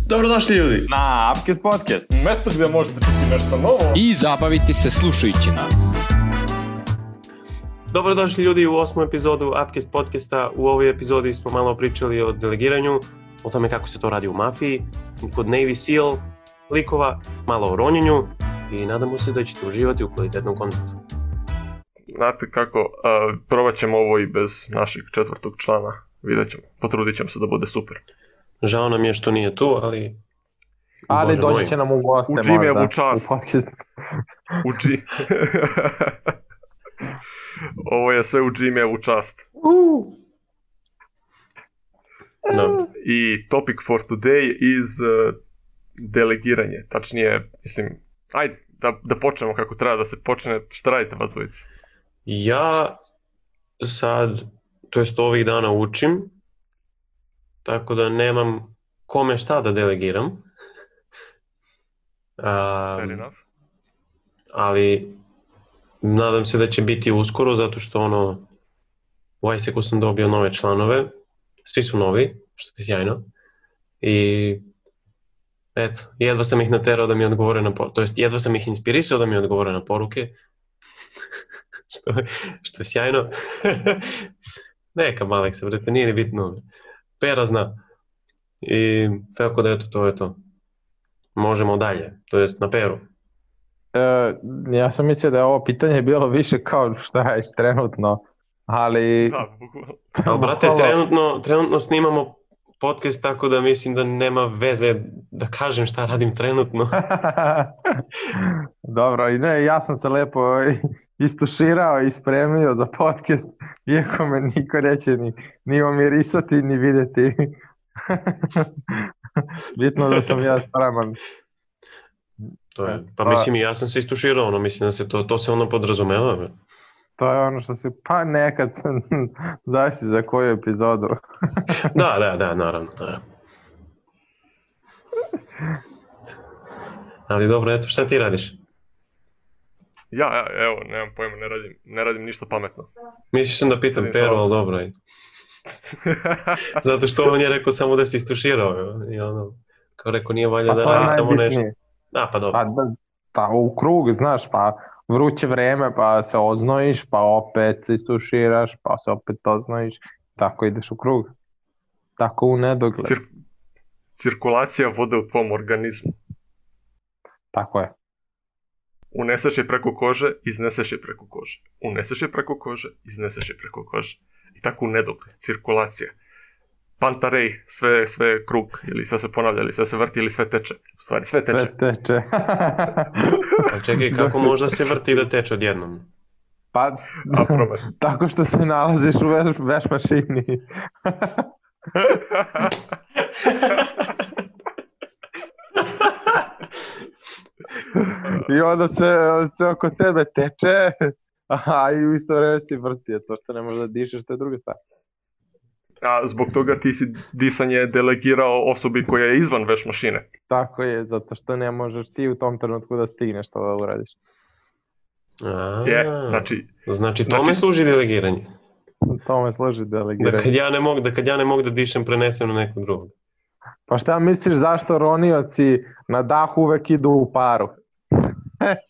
Dobrodošli ljudi na Upcast podcast, mjesto gdje možete čuti nešto novo i zabaviti se slušajući nas. Dobrodošli ljudi u 8. epizodu Upcast podcasta. U ovoj epizodi smo malo pričali o delegiranju, o tome kako se to radi u mafiji, kod Navy Seal likova, malo o ronjenju i nadamo se da ćete uživati u kvalitetnom kontentu. Znate kako, probat ćemo ovo i bez našeg četvrtog člana, vidjet ćemo, potrudit ćemo se da bude super. Žao nam je što nije tu, ali... Ali doći će nam u goste. U Jimmyevu čast. Ovo je sve u Jimmyevu čast. No. I topic for today is delegiranje. Tačnije, mislim, ajde da počnemo kako treba da se počne. Šta radite vas dvojice? Ja sad, to jest ovih dana učim, tako da nemam kome šta da delegiram. Fair enough. Ali nadam se da će biti uskoro, zato što u ISEC-u sam dobio nove članove, svi su novi, što je sjajno. I eto, jedva sam ih naterao da mi odgovore na poruke, to jest jedva sam ih inspirisao da mi odgovore na poruke, što je sjajno. Neka Aleksa, brate, nije ni bitno. Pera zna. I tako da eto, to je to. Možemo dalje, to jest na Peru. Ja sam mislio da je ovo pitanje bilo više kao šta je trenutno, ali... Da, bukvalno. Ali brate, trenutno snimamo podcast, tako da mislim da nema veze da kažem šta radim trenutno. Dobro, i ne, ja sam se lepo istuširao i spremio za podcast, iako me niko neće ni omirisati ni vidjeti. Bitno da sam ja spreman. To je, pa mislim i ja sam se istuširao, mislim da se to se ono podrazumeva. To je ono što se, pa nekad zavisi za koju epizodu. Da, naravno. Ali dobro, eto, šta ti radiš? Ja, evo, nemam pojma, ne radim ništa pametno. Misliš sam da pitam Peru, ali dobro. Zato što on je rekao samo da se istuširao. I kao rekao, nije valja da radi samo nešto. Da, pa dobro. Pa u krug, znaš, pa vruće vreme, pa se oznojiš, pa opet se istuširaš, pa se opet oznojiš. Tako ideš u krug. Tako u nedogled. Cirkulacija vode u tvom organizmu. Tako je. Uneseš je preko kože, izneseš je preko kože. Uneseš je preko kože, izneseš je preko kože. I tako u nedogled. Cirkulacija. Pantarej, sve krug, ili sve se ponavlja, ili sve se vrti, ili sve teče. U stvari, sve teče. Sve teče. Pa čekaj, kako možda se vrti da teče odjednom? Pa, tako što se nalaziš u veš mašini. I onda se oko tebe teče, a i u isto vreme si vrti, to što ne možeš da dišeš, to je druga stvar. A zbog toga ti si disanje delegirao osobi koja je izvan veš mašine. Tako je, zato što ne možeš ti u tom trenutku da stigneš to da uradiš. Znači tome služi delegiranje. Tome služi delegiranje. Da kad ja ne mogu da dišem, prenesem na nekog drugog. Pa šta misliš zašto ronioci na dah uvek idu u paru?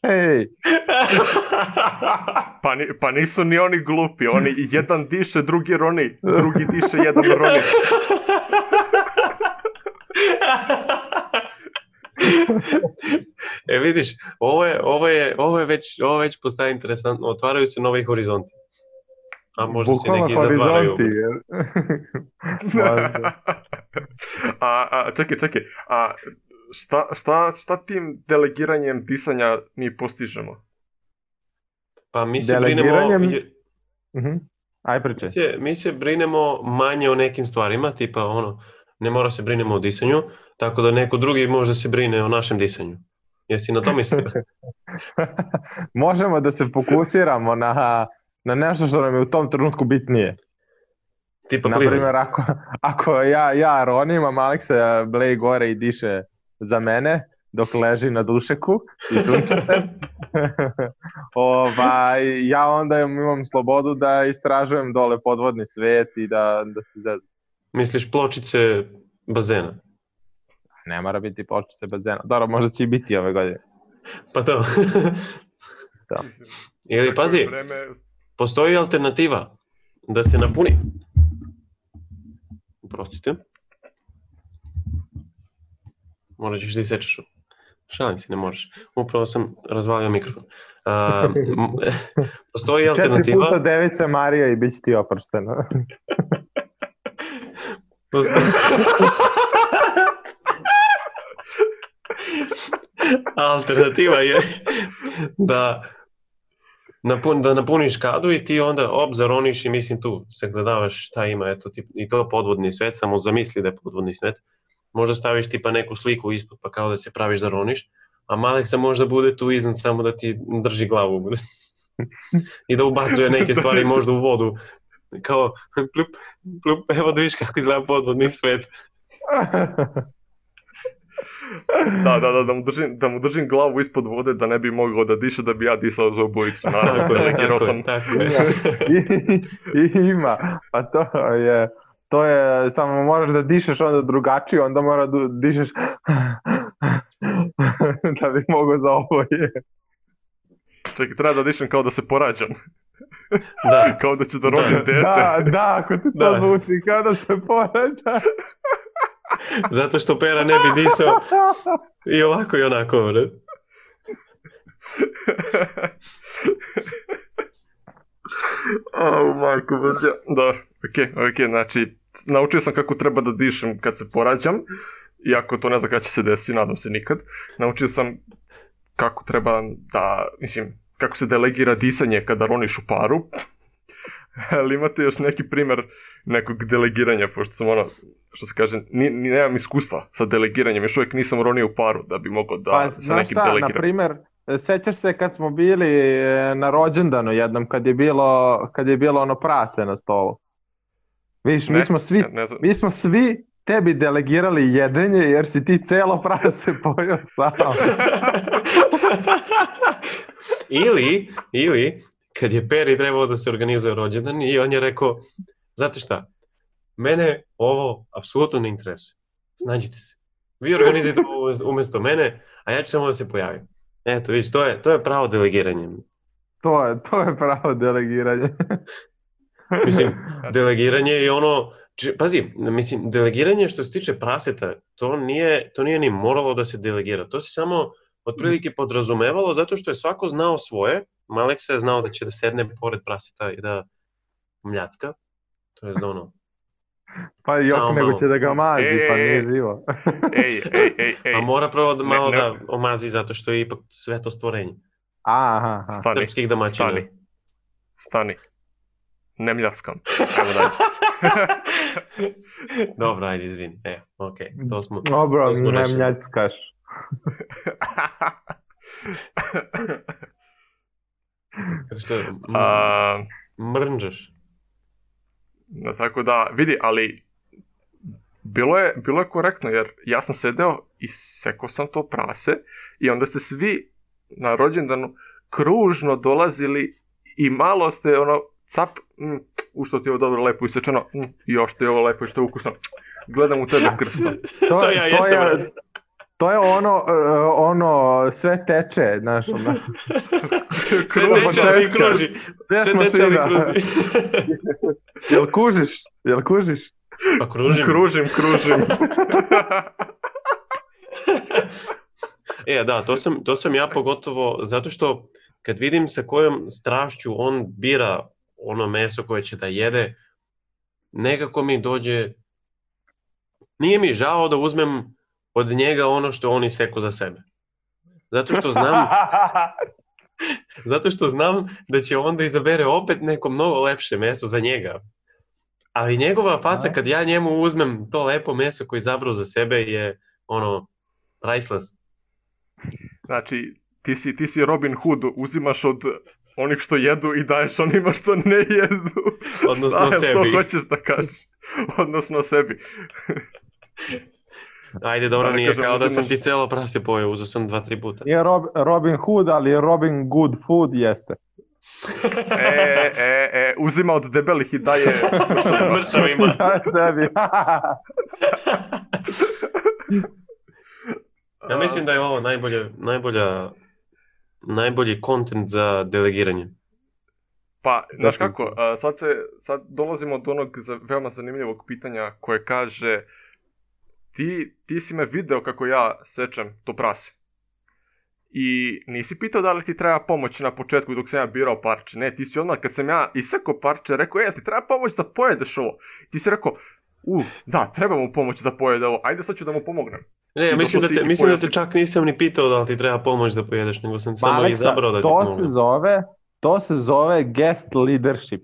Hej! Pa nisu ni oni glupi, oni jedan diše, drugi roni, drugi diše, jedan roni. Vidiš, ovo je već postaje interesantno, otvaraju se novi horizonti. A možda se neki zatvaraju. Čekaj, šta tim delegiranjem disanja mi postižemo? Pa mi se brinemo... Aj pričaj. Mi se brinemo manje o nekim stvarima, tipa ne mora se brinemo o disanju, tako da neko drugi možda se brine o našem disanju. Jesi na to mislio? Možemo da se fokusiramo na nešto što nam je u tom trenutku bitnije. Tipa naprimjer, ako ja ronim, a Aleksa bleji gore i diše za mene, dok leži na dušeku i sunča se, ja onda imam slobodu da istražujem dole podvodni svet i da se zezam. Misliš pločice bazena? Ne mora biti pločice bazena. Dobro, možda će i biti ove godine. Pa to. Da. Ili pazi, postoji alternativa da se napuni. Prostite. Morat ćeš da isečeš. Šalim se, ne moraš. Upravo sam razvalio mikrofon. Postoji alternativa... 4 puta devica Marija i bit će ti oprošteno. Alternativa je da napuniš kadu i ti onda zaroniš i mislim tu se gledavaš šta ima, eto, i to podvodni svet, samo zamisli da je podvodni svet. Možda staviš tipa neku sliku ispod pa kao da se praviš da roniš, a Maleksa možda bude tu iznad samo da ti drži glavu i da ubacuje neke stvari možda u vodu. Kao plup, plup, evo da viš kako izgleda podvodni svet. Da mu držim glavu ispod vode da ne bi mogao da diše, da bi ja disao za obojicu. Naravno, tako je. Ima, pa to je, samo moraš da dišeš onda drugačije, onda mora da dišeš da bi mogao za oboje. Čekaj, treba da dišem kao da se porađam. Da. Kao da ću da rodim dete. Da, ako ti to zvuči kao da se porađa. Zato što Pera ne bi disao i ovako i onako, ne? Majko Božja. Da, okej, znači, naučio sam kako treba da dišem kad se porađam, iako to ne znam kada će se desiti, nadam se nikad. Naučio sam kako treba da, kako se delegira disanje kada roniš u paru. Ali imate još neki primjer nekog delegiranja, pošto sam što se kaže, nemam iskustva sa delegiranjem, još uvijek nisam ronio u paru da bi mogao da sa nekim delegiram. Na primjer, sećaš se kad smo bili na rođendanu jednom, kad je bilo ono prase na stolu? Viš, mi smo svi tebi delegirali jedenje jer si ti celo prase pojeo sam. Ili kad je Peri trebao da se organizuje rođendan i on je rekao, znate šta, mene ovo apsolutno ne interesuje. Snađite se. Vi organizujete ovo umjesto mene, a ja ću samo da se pojavim. Eto, vidiš, to je pravo delegiranje. To je pravo delegiranje. Mislim, delegiranje je ono... Pazi, delegiranje što se tiče praseta, to nije ni moralo da se delegira. To se samo otprilike podrazumevalo zato što je svako znao svoje. Maleksa je znao da će da sedne pored praseta i da mljacka. To je ono... Pa još nego će da ga mazi, pa nije živo. Ej. A mora prvo malo da omazi zato što je ipak sveto stvorenje. Aha. Srpskih domaćina. Stani. Ne mljackam. Evo dalje. Dobro, ajde, izvini. Okej, to smo... Dobro, ne mljackaš. Što mrnđaš. Tako da, vidi, ali bilo je korektno, jer ja sam sedeo i sekao sam to prase i onda ste svi na rođendanu kružno dolazili i malo ste cap, u što ti je ovo dobro lepo isečeno, još ti je ovo lepo i što je ukusno, gledam u tebe krsto. To ja jesam rad. To je ono, sve teče, znaš, ono. Sve teče, ali kruži. Jel kužiš? Pa kružim. Kružim. Da, to sam ja pogotovo, zato što kad vidim sa kojom strašću on bira ono meso koje će da jede, nekako mi dođe, nije mi žao da uzmem od njega ono što on iseku za sebe. Zato što znam da će onda izabere opet neko mnogo lepše meso za njega. Ali njegova faca kad ja njemu uzmem to lepo meso koje izabrao za sebe je priceless. Znači, ti si Robin Hood, uzimaš od onih što jedu i daješ onima što ne jedu. Odnosno sebi. To hoćeš da kažeš. Odnosno sebi. Ajde, dobro, nije kao da sam ti celo prase pojeo, uzeo sam 2-3 puta. Nije Robin Hood, ali Robin Good Food jeste. Uzima od debelih i daje mršavima. Sebi. Ja mislim da je ovo najbolji content za delegiranje. Pa, znaš kako, sad dolazimo do onog veoma zanimljivog pitanja koje kaže ti si me video kako ja sečem to prase. I nisi pitao da li ti treba pomoć na početku dok sam ja birao parče. Ne, ti si odmah kad sam ja isekao parče rekao, ti treba pomoć da pojedeš ovo. Ti si rekao, da, treba mu pomoć da pojede ovo, ajde sad ću da mu pomognem. Ne, mislim da te čak nisam ni pitao da li ti treba pomoć da pojedeš, nego sam samo izabrao da ti pomognem. To se zove guest leadership.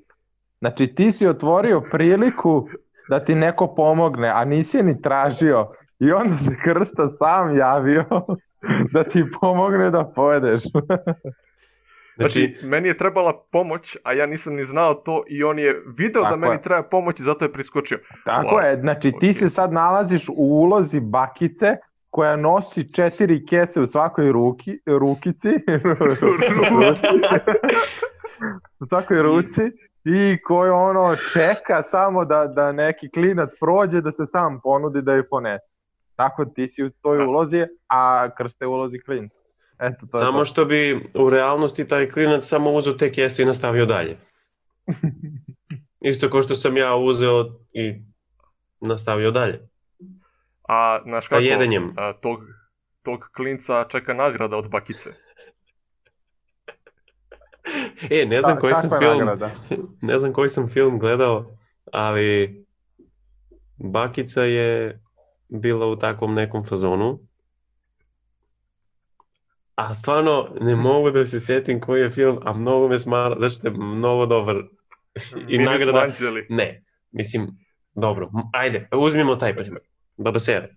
Znači ti si otvorio priliku da ti neko pomogne, a nisi je ni tražio. I onda se Krsta sam javio da ti pomogne da pojedeš. Znači, meni je trebala pomoć, a ja nisam ni znao to i on je video da meni treba pomoć i zato je priskočio. Tako je, znači ti se sad nalaziš u ulozi bakice koja nosi 4 kese u svakoj rukici. U svakoj ruci i koja čeka samo da neki klinac prođe da se sam ponudi da ju ponese. Tako ti si u toj ulozi, a Krsta je u ulozi klinca. Samo što bi u realnosti taj klinac samo uzeo te kese i nastavio dalje. Isto kao što sam ja uzeo i nastavio dalje. A znaš kako, tog klinca čeka nagrada od bakice. Ne znam koji sam film gledao, ali bakica je bila u takvom nekom fazonu. A stvarno ne mogu da se sjetim koji je film, a mnogo me smara, zato je mnogo dobar. I nagrada... Ne, mislim, dobro, ajde, uzmimo taj primjer. Babasera.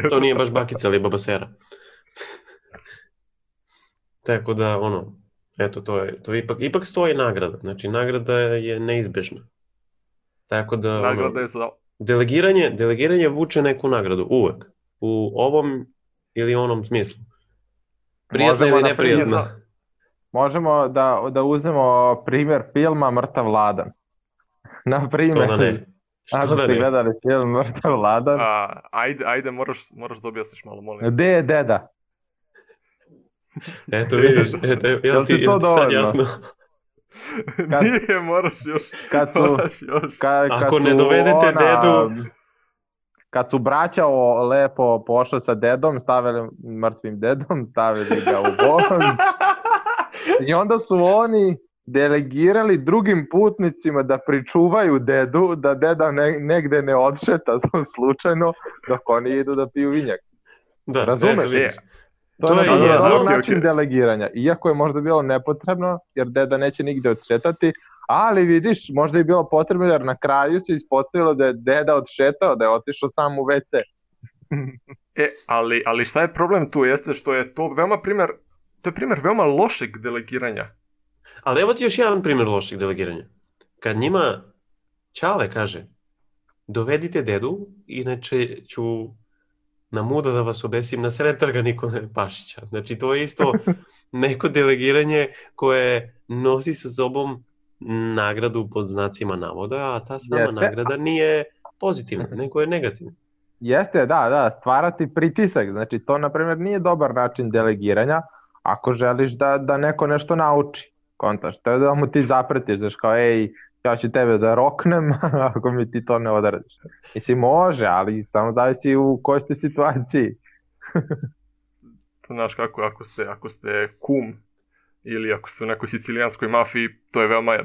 To nije baš bakica, ali Babasera. Tako da, eto, to ipak stoji nagrada. Znači, nagrada je neizbežna. Tako da, nagrada je za... Delegiranje vuče neku nagradu, uvek. U ovom ili onom smislu. Prijatna ili neprijatna. Možemo da uzmemo primjer filma Mrtav Ladan. Na primjer. Što da ne? Ako ste gledali film Mrtav Ladan. Ajde, moraš da objasniš malo, molim. Gde je deda? Eto vidiš, jel ti sad jasno? Nije, moraš još. Ako ne dovedete dedu... Kad su braća lepo pošli sa dedom, stavili mrtvim dedom, stavili ga u voz. I onda su oni delegirali drugim putnicima da pričuvaju dedu, da deda negde ne odšeta slučajno dok oni idu da piju vinjak. Da, razumeš? To je dobar način delegiranja. Iako je možda bilo nepotrebno, jer deda neće nigde odšetati, ali vidiš, možda je bilo potrebno jer na kraju se ispostavilo da je deda odšetao, da je otišao sam u WC. Ali šta je problem tu jeste što je to primjer veoma lošeg delegiranja. Ali evo ti još jedan primjer lošeg delegiranja. Kad njima Ćale kaže, dovedite dedu, inače ću na muda da vas obesim na sred trga Nikole Pašića. Znači to je isto neko delegiranje koje nosi sa sobom nagradu pod znacima navoda, a ta sama nagrada nije pozitivna, nego je negativna. Jeste, da, stvarati pritisak. Znači to, na primjer, nije dobar način delegiranja ako želiš da neko nešto nauči. Kontaš, to je da mu ti zapretiš, daš kao, ja ću tebe da roknem ako mi ti to ne odradiš. Mislim, može, ali samo zavisi u kojoj ste situaciji. Znaš kako, ako ste kum ili ako ste u nekoj sicilijanskoj mafiji, to je veoma,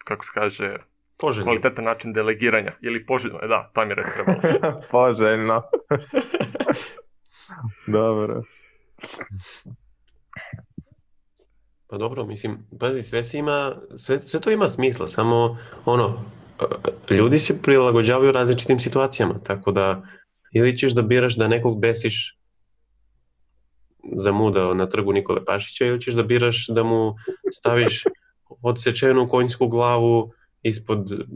kako se kaže, poželjno. Kvalitetan način delegiranja. Ili poželjno, da, tam je red trebalo. Poželjno. Dobro. Pa dobro, mislim, pazi, sve to ima smisla, samo ljudi se prilagođavaju različitim situacijama, tako da ili ćeš da biraš da nekog besiš za muda na trgu Nikole Pašića ili ćeš da biraš da mu staviš odsečenu konjsku glavu ispod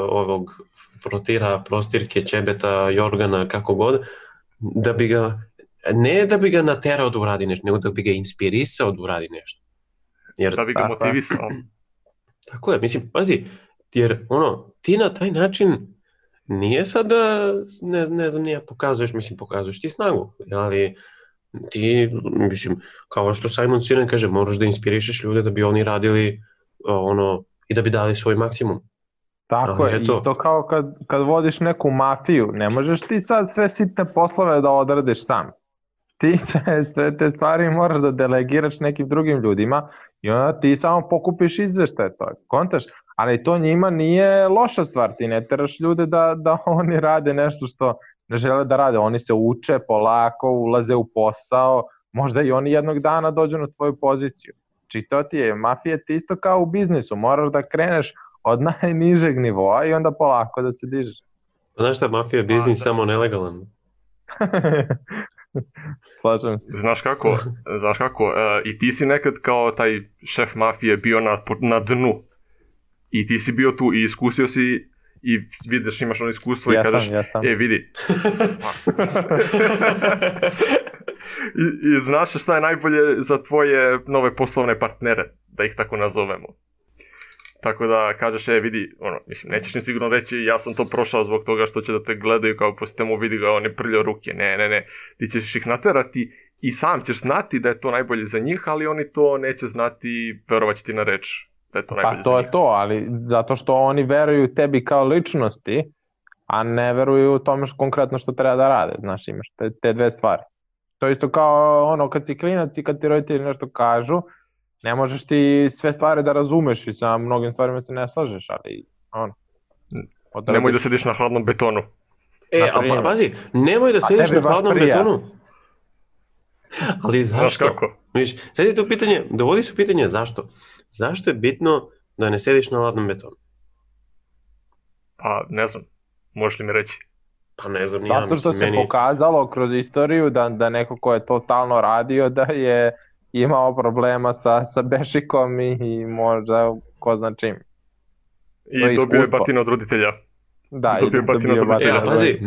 ovog frotira, prostirke, ćebeta, jorgana, kako god, da bi ga, ne da bi ga naterao da uradi nešto, nego da bi ga inspirisao da uradi nešto. Da bi ga motivisao. Tako je, mislim, pazi, jer ti na taj način nije sad da, ne znam, nije pokazuješ ti snagu, ali ti, mislim, kao što Simon Sinek kaže, moraš da inspirišeš ljude da bi oni radili i da bi dali svoj maksimum. Tako je, isto kao kad vodiš neku mafiju, ne možeš ti sad sve sitne poslove da odradiš sam. Ti sve te stvari moraš da delegiraš nekim drugim ljudima i onda ti samo pokupiš izveštaje, to je, kontaš, ali to njima nije loša stvar, ti ne teraš ljude da oni rade nešto što ne žele da rade, oni se uče polako, ulaze u posao, možda i oni jednog dana dođu na tvoju poziciju. Či to ti je, mafija ti isto kao u biznisu, moraš da kreneš od najnižeg nivoa i onda polako da se dižeš. Znaš šta, mafija je biznis samo nelegalan. Slažem se. Znaš kako, i ti si nekad kao taj šef mafije bio na dnu. I ti si bio tu i iskusio si i vidiš, imaš ono iskustvo i kažeš, vidi. I znaš šta je najbolje za tvoje nove poslovne partnere, da ih tako nazovemo. Tako da kažeš, vidi, mislim, nećeš im sigurno reći, ja sam to prošao zbog toga što će da te gledaju kao po sistemu, vidi ga, on je prljao ruke. Ne, ti ćeš ih naterati i sam ćeš znati da je to najbolje za njih, ali oni to neće znati, verovat će ti na reč da je to najbolje za njih. Pa to je to, ali zato što oni veruju tebi kao ličnosti, a ne veruju tome konkretno što treba da rade, znaš, imaš te dve stvari. To je isto kao kad si klinac i kad ti roditelji nešto kažu, ne možeš ti sve stvari da razumeš i sa mnogim stvarima se ne slažeš, ali nemoj da sediš na hladnom betonu. Pa pazi, nemoj da sediš na hladnom betonu. Ali zašto? Kako? Sad je to pitanje, dovodi se pitanje zašto. Zašto je bitno da ne sediš na hladnom betonu? Pa ne znam, možeš li mi reći? Pa ne znam, zato što se pokazalo kroz istoriju da neko ko je to stalno radio da je imao problema sa bešikom i možda ko zna čim. I dobio je batine od roditelja. Da, dobio je batine od roditelja. Pazi,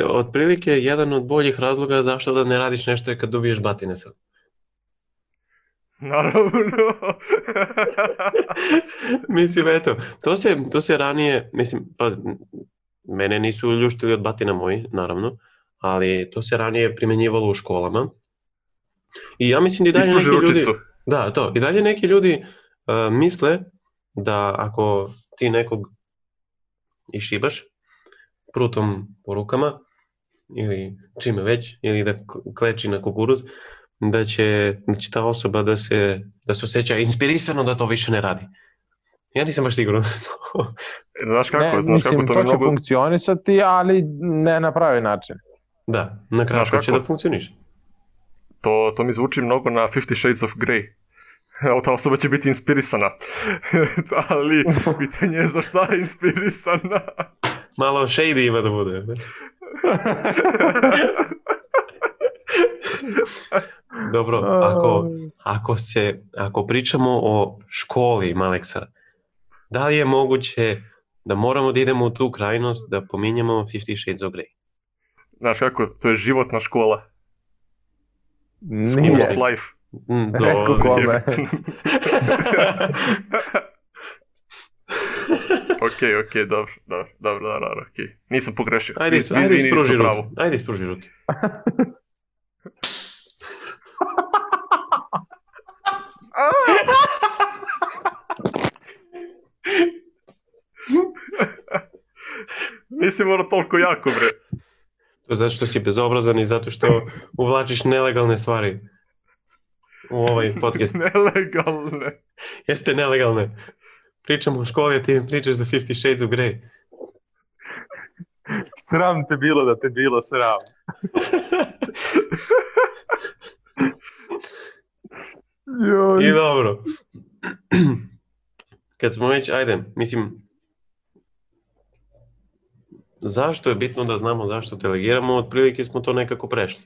otprilike jedan od boljih razloga zašto da ne radiš nešto je kad dobiješ batine sad. Naravno. Mislim, eto, to se ranije, mislim, pazi, mene nisu ljuštili od batina moji, naravno, ali to se ranije primjenjivalo u školama. I ja mislim da i dalje neki ljudi... Da, to. I dalje neki ljudi misle da ako ti nekog išibaš prutom po rukama ili čime već, ili da kleči na kukuruz, da će ta osoba da se osjeća inspirisano da to više ne radi. Ja nisam baš siguran. Znaš kako to će funkcionisati, ali ne na pravi način. Da, na kratko će da funkcioniš. To mi zvuči mnogo na 50 Shades of Grey. Ta osoba će biti inspirisana. Ali pitanje je za šta je inspirisana. Malo shady ima da bude. Dobro, ako pričamo o školi, Maleksa, da li je moguće da moramo da idemo u tu krajnost da pominjemo 50 Shades of Grey? Znaš kako, to je životna škola. School of life. Neko kome. Ok, dobro, ok. Nisam pogrešio. Ajde ispruži ruke. Nisi morao toliko jako, bre. To zato što si bezobrazan i zato što uvlačiš nelegalne stvari u ovaj podcast. Nelegalne? Jeste nelegalne. Pričamo o školi, a ti mi pričaš za 50 Shades of Grey. Sram te bilo da te bilo sram. I dobro. Kad smo već, zašto je bitno da znamo zašto delegiramo, otprilike smo to nekako prešli.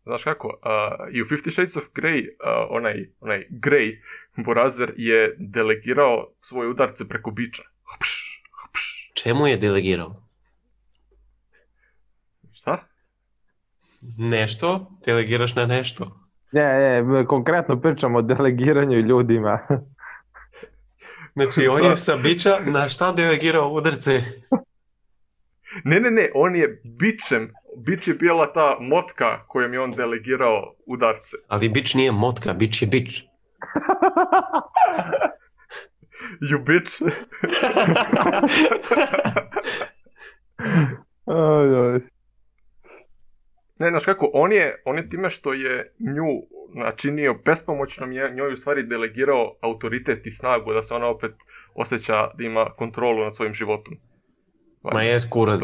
Znaš kako, i u 50 Shades of Grey, onaj Grey, Borazer je delegirao svoje udarce preko biča. Čemu je delegirao? Šta? Nešto, delegiraš na nešto. Ne, konkretno pričamo o delegiranju ljudima. Znači, on je sa biča na šta delegirao udarce? Ne, on je bičem. Bič je bila ta motka kojom je on delegirao udarce. Ali bič nije motka, bič je bič. You bitch. Ne, znaš kako, on je time što je nju načinio bespomoćnom, njoj u stvari delegirao autoritet i snagu da se ona opet osjeća da ima kontrolu nad svojim životom. Ma jes kurac.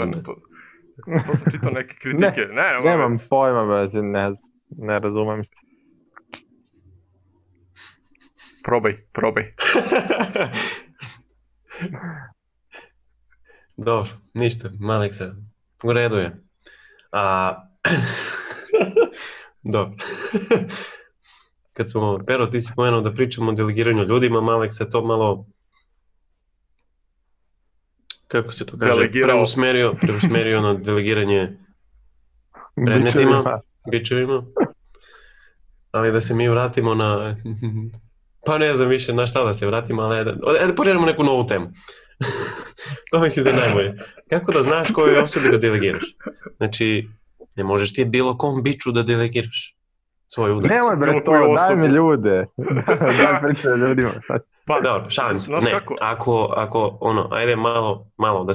To sam čitao neke kritike. Nemam pojma, ne razumem se. Probaj. Dobro, ništa, Malek se. U redu je. Dobro. Kad smo, Pero, ti si pomenuo da pričamo o delegiranju ljudima, Malek se to malo, kako se to kaže, preusmerio na delegiranje predmetima, bičevima. Ali da se mi vratimo na, pa ne znam više na šta da se vratimo, ali da pođemo neku novu temu. To mislim da je najbolje. Kako da znaš kojoj osobi da delegiraš? Znači, ne možeš ti bilo kom biču da delegiraš svoju udarcu. Nemoj bre to, daj mi ljude. Daj pričaj ljudima. Pa dobro, šalim se. Ne, ako ajde malo da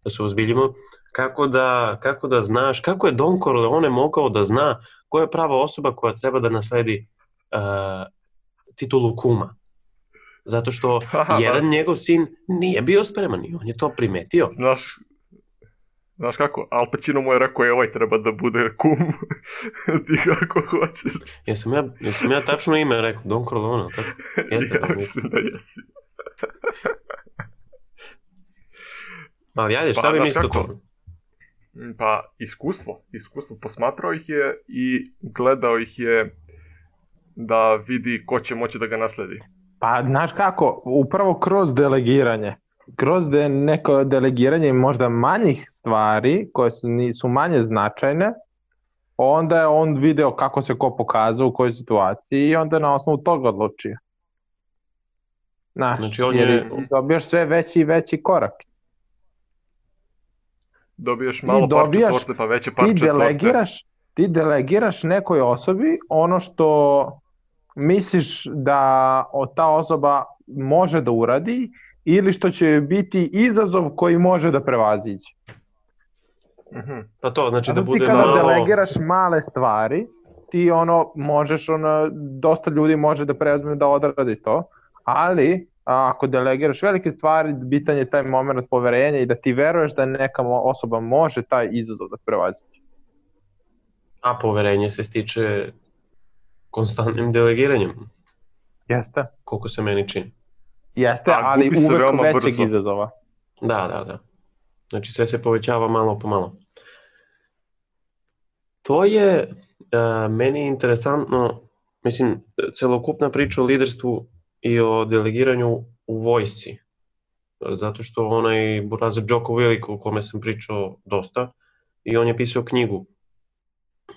se ozbiljimo, kako da znaš, kako je Don Corleone mogao da zna koja je prava osoba koja treba da nasledi titulu kuma? Zato što jedan njegov sin nije bio spreman i on je to primetio. Znaš kako, Al Pacino mu je rekao ovaj treba da bude kum, ti kako hoćeš. Jesam ja tačno ime rekao, Don Corleone, tako? Ja mislim da jesi. Ali ajde, šta bi mislio to? Pa iskustvo, posmatrao ih je i gledao ih je da vidi ko će moći da ga nasledi. Pa znaš kako, upravo kroz delegiranje. Kroz neko delegiranje možda manjih stvari koje su manje značajne, onda je on video kako se ko pokazao u kojoj situaciji i onda je na osnovu toga odlučio. Znači dobijaš sve veći i veći korak. Dobiješ malo parče torte pa veće parče torte. Ti delegiraš nekoj osobi ono što misliš da ta osoba može da uradi ili što će biti izazov koji može da prevaziđe. Pa to znači da bude ti kada delegiraš male stvari, ti možeš, dosta ljudi može da preuzme da odradi to, ali ako delegiraš velike stvari, bitan je taj moment poverenja i da ti veruješ da neka osoba može taj izazov da prevaziđe. A poverenje se stiče konstantnim delegiranjem. Jeste. Koliko se meni čini. Jeste, ali uvek većeg izazova. Da. Znači sve se povećava malo po malo. To je meni interesantno, mislim, celokupna priča o liderstvu i o delegiranju u vojsci. Zato što onaj burazer Jocko Willink o kome sam pričao dosta i on je pisao knjigu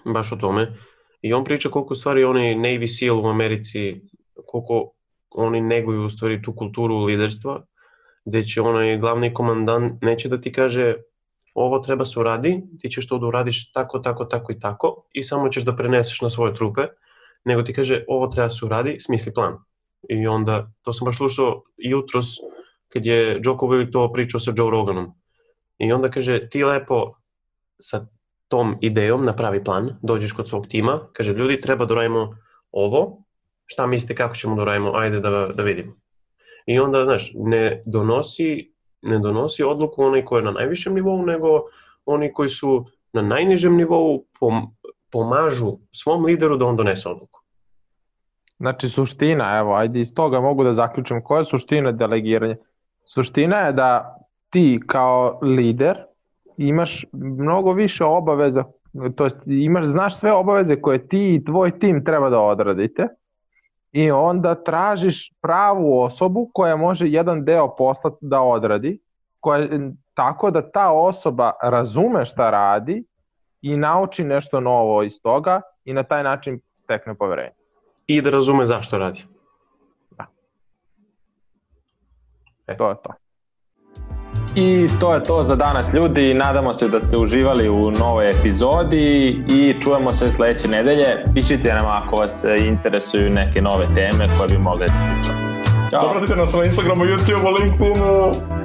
baš o tome. I on priča koliko stvari onaj Navy SEAL u Americi, koliko oni neguju u stvari tu kulturu liderstva, gde će onaj glavni komandant neće da ti kaže ovo treba se uradi, ti ćeš to da uradiš tako i tako i samo ćeš da preneseš na svoje trupe, nego ti kaže ovo treba se uradi, smisli plan. I onda, to sam baš slušao jutros kad je Jocko Willink to pričao sa Joe Roganom. I onda kaže ti lepo sa tom idejom napravi plan, dođeš kod svog tima, kaže ljudi treba da radimo ovo, šta mislite kako ćemo da radimo, ajde da vidimo. I onda, znaš, ne donosi odluku onaj koji je na najvišem nivou, nego oni koji su na najnižem nivou pomažu svom lideru da on donese odluku. Znači suština, evo, ajde iz toga mogu da zaključim koja je suština delegiranja. Suština je da ti kao lider imaš mnogo više obaveza, to jest znaš sve obaveze koje ti i tvoj tim treba da odradite i onda tražiš pravu osobu koja može jedan deo posla da odradi, tako da ta osoba razume šta radi i nauči nešto novo iz toga i na taj način stekne poverenje. I da razume zašto radi. Da. To je to. I to je to za danas, ljudi. Nadamo se da ste uživali u novoj epizodi i čujemo se sljedeće nedelje. Pišite nam ako vas interesuju neke nove teme koje bi mogli da pričamo. Ćao. Zapratite nas na Instagramu, YouTubeu, LinkedInu.